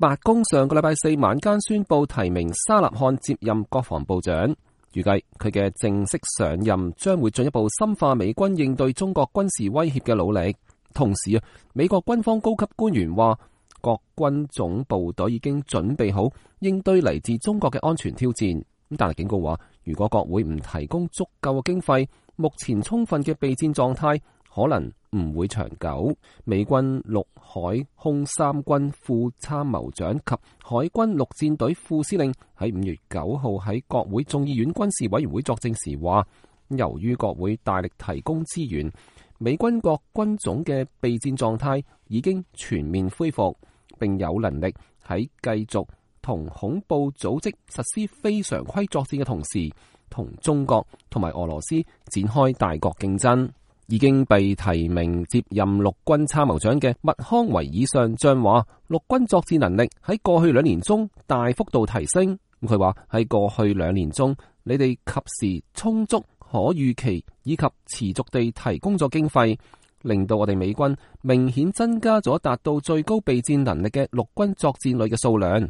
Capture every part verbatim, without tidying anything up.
白宮上個禮拜四晚間宣布提名沙納漢接任國防部長，預計佢嘅正式上任將會進一步深化美軍應對中國軍事威脅嘅努力。同時啊，美國軍方高級官員話，各軍總部隊已經準備好應對嚟自中國嘅安全挑戰。但係警告話，如果國會唔提供足夠嘅經費，目前充分嘅備戰狀態可能唔會長久。美軍陸海空三軍副參謀長及海軍陸戰隊副司令喺五月九號喺國會眾議院軍事委員會作證時話，由於國會大力提供資源，美軍各軍種嘅備戰狀態已經全面恢復，並有能力喺繼續同恐怖組織實施非常規作戰嘅同時，同中國同埋俄羅斯展開大國競爭。已經被提名接任陸軍參謀長嘅麥康維爾上將話，陸軍作戰能力喺過去兩年中大幅度提升。佢話喺過去兩年中，你哋及時、充足、可預期以及持續地提供咗經費，令到我哋美軍明顯增加咗達到最高備戰能力嘅陸軍作戰旅嘅數量。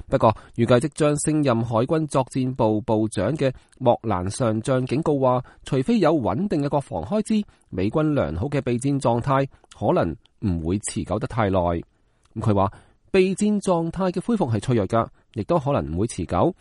不過，預計即將升任海軍作戰部部長嘅莫蘭上將警告話，除非有穩定嘅國防開支，美軍良好嘅備戰狀態可能唔會持久得太耐。咁佢話，備戰狀態嘅恢復係脆弱㗎，亦都可能唔會持久。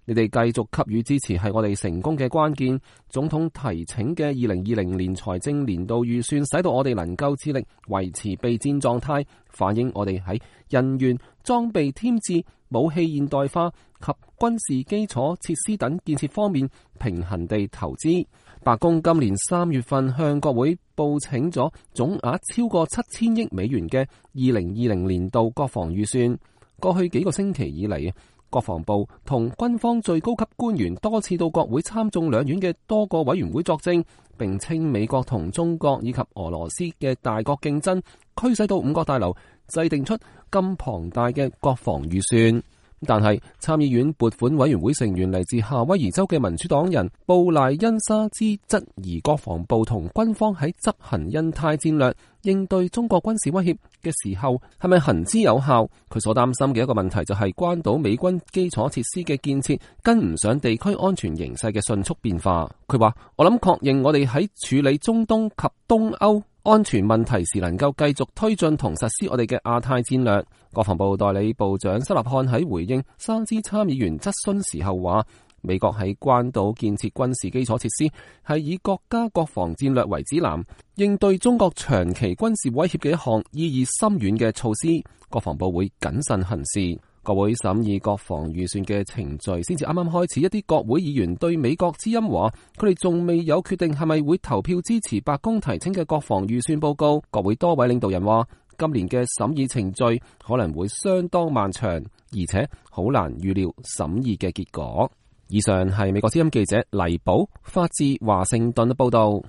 你哋繼續給予支持係我哋成功嘅關鍵。總統提請嘅二零二零年財政年度預算，使到我哋能夠致力維持備戰狀態，反映我哋喺人員、裝備添置、武器現代化及軍事基礎設施等建設方面平衡地投資。白宮今年三月份向國會報請咗總額超過七千億美元嘅二零二零年度國防預算。過去幾個星期以嚟，國防部同軍方最高級官員多次到國會參眾兩院嘅多個委員會作證，並稱美國同中國以及俄羅斯嘅大國競爭驅使到五角大樓制定出咁龐大嘅國防預算。但係參議院撥款委員會成員嚟自夏威夷州嘅民主黨人布賴恩沙茲質疑國防部同軍方喺執行印太戰略應對中國軍事威脅嘅時候係咪行之有效。佢所擔心嘅一個問題就係關島美軍基礎設施嘅建設跟唔上地區安全形勢嘅迅速變化。佢話，我諗確認我哋喺處理中東及東歐安全問題時能夠繼續推進同實施我哋嘅亞太戰略。國防部代理部長沙納漢喺回應沙茲參議員質詢時候話，美國喺關島建設軍事基礎設施係以國家國防戰略為指南，應對中國長期軍事威脅嘅一項意義深遠嘅措施。國防部會謹慎行事。國會審議國防預算嘅程序先至啱啱開始，一啲國會議員對美國之音話，佢哋仲未有決定係咪會投票支持白宮提請嘅國防預算報告。國會多位領導人話，今年嘅審議程序可能會相當漫長，而且好難預料審議嘅結果。以上係美國之音記者黎寶發自華盛頓嘅報道。